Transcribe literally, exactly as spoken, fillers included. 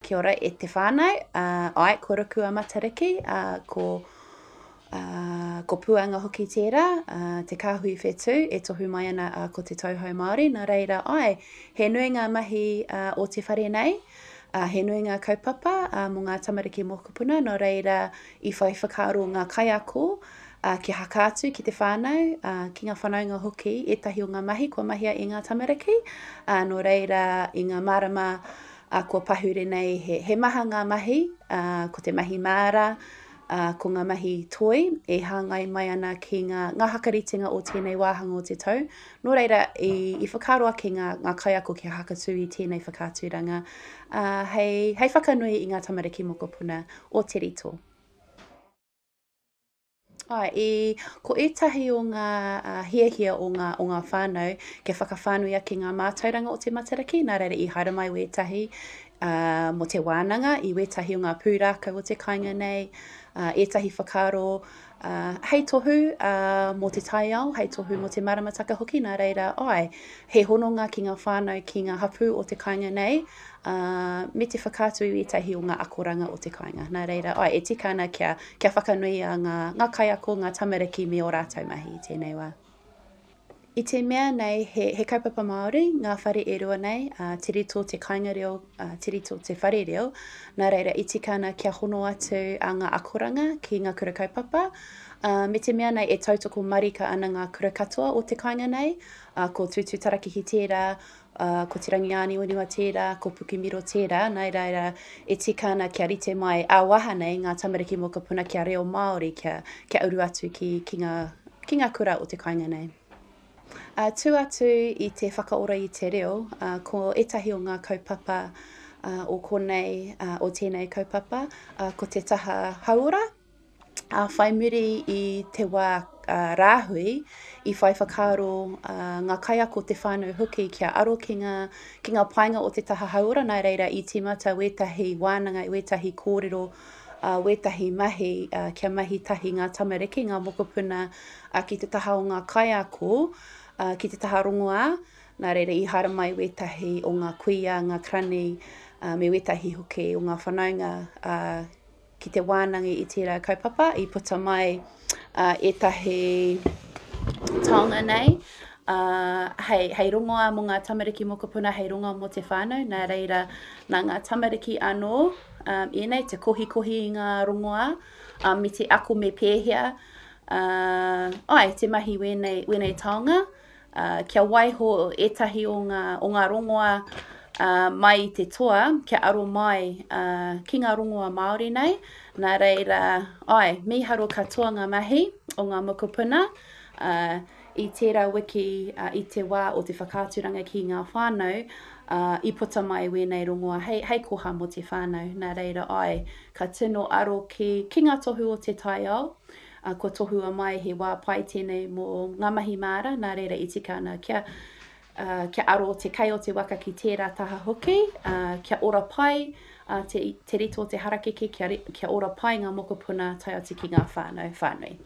Kia ora e te whānau, uh, ai, ko Ruku a Matariki, uh, ko, uh, ko Puanga hoki tērā, uh, te kāhui whetū e tohu mai ana uh, ko te tauhou Māori. Nā reira, ai, he nui ngā mahi uh, o te whare nei, uh, he nui ngā kaupapa uh, mō ngā tamariki mokopuna, nō reira i whai whakaaro ngā kaiako, uh, kia haka atu ki te whānau, uh, ki ngā whanaunga hoki, ētahi o ngā mahi kua mahia e ngā tamariki, uh, nō reira i ngā marama uh, kua pahure nei he, he maha ngā mahi, uh, ko te mahi māra, uh, ko ngā mahi toi e hāngai mai ana ki ngā, ngā hakaritenga o tēnei wāhanga o te tau. Nō reira, i, i whakaaro ake ngā, ngā kaiako kia hakatū i tēnei whakaaturanga uh, hei, hei whakanui i ngā tamariki mokopuna o Te Rito. Ai, i, ko ētahi o ngā uh, hiahia o ngā, o ngā whānau kia whakawhānui ake ngā mātauranga o te Matariki, nā reira i haere mai wētahi uh, mō te wānanga, i wētahi o ngā pūrākau o te kāinga nei, uh, ētahi whakaaro uh, hei tohu uh, mō te taiao, hei tohu mō te maramataka hoki, nā reira, ai, he hononga ki ngā whānau, ki ngā hapū o te kāinga nei, uh, me te whakaatu i ētahi o ngā akoranga o te kāinga. Nā reira, ai, e tika ana kia, kia whakanuia ngā, ngā kaiako, ngā tamariki me ō rātou mahi i tēnei wā. I te mea nei, he, he kaupapa Māori, ngā whare e rua nei, uh, Te Rito te kāinga reo, uh, Te Rito te whare reo, nā reira i tika ana kia hono atu a ngā akoranga ki ngā kura kaupapa, uh, me te mea nei e tautoko marika ana ngā kura katoa o te kāinga nei, uh, ko Tūtū Tarakihi tērā, uh, ko Te Rangiāniwaniwa tērā, ko Pukemiro tērā, nā reira e tika ana kia rite mai ā-waha nei ngā tamariki mokopuna kia reo Māori, kia, kia uru atu ki, ki, ngā, ki ngā kura o te kāinga nei. Uh, tū atu i te whakaora i te reo, uh, ko ētahi o ngā kaupapa uh, o konei, uh, o tēnei kaupapa, uh, ko te taha hauora, uh, whai muri i te wā uh, rāhui, i whai whakaaro uh, ngā kaiako te whānau hoki kia aro ki ngā, ki ngā painga o te taha hauora, nā reira i tīmata wētahi wānanga, wētahi kōrero, uh, wētahi mahi, uh, kia mahi tahi ngā tamariki, ngā mokopuna uh, ki te taha o ngā kaiako, uh, ki te taha rongoā, nā reira i haere mai wētahi o ngā kuia, ngā krani, uh, me wētahi hoki o ngā whanaunga uh, ki te wānanga i tērā kaupapa, i puta mai uh, ētahi taonga nei, uh, hei, hei rongoā mō ngā tamariki mokopuna, hei rongoā mō te whānau, nā reira nā ngā tamariki anō, um, ēnei te kohikohi i ngā rongoā, um, me te ako me pēhea, uh, ai, te mahi wēnei, wēnei taonga, uh, kia waiho ētahi o ngā, o ngā rongoā uh, mai i te toa, kia aro mai uh, ki ngā rongoā Māori nei, nā reira, ai, mīharo katoa ngā mahi o ngā mokopuna, uh, i tērā wiki, uh, i te wā o te whakaaturanga ki ngā whānau, uh, i puta mai wēnei rongoa hei, hei koha mō te whānau. Nā reira, ai, ka tino aro ki, ki ngā tohu o te taiao, uh, kua tohua mai he wā pai tēnei mō ngā mahi māra, nā reira i tika ana kia, uh, kia aro te kai o te waka ki tērā taha hoki, uh, kia ora pai uh, te, te rito o te harakeke, kia, kia ora pai ngā mokopuna tae atu ki ngā whānau whānui.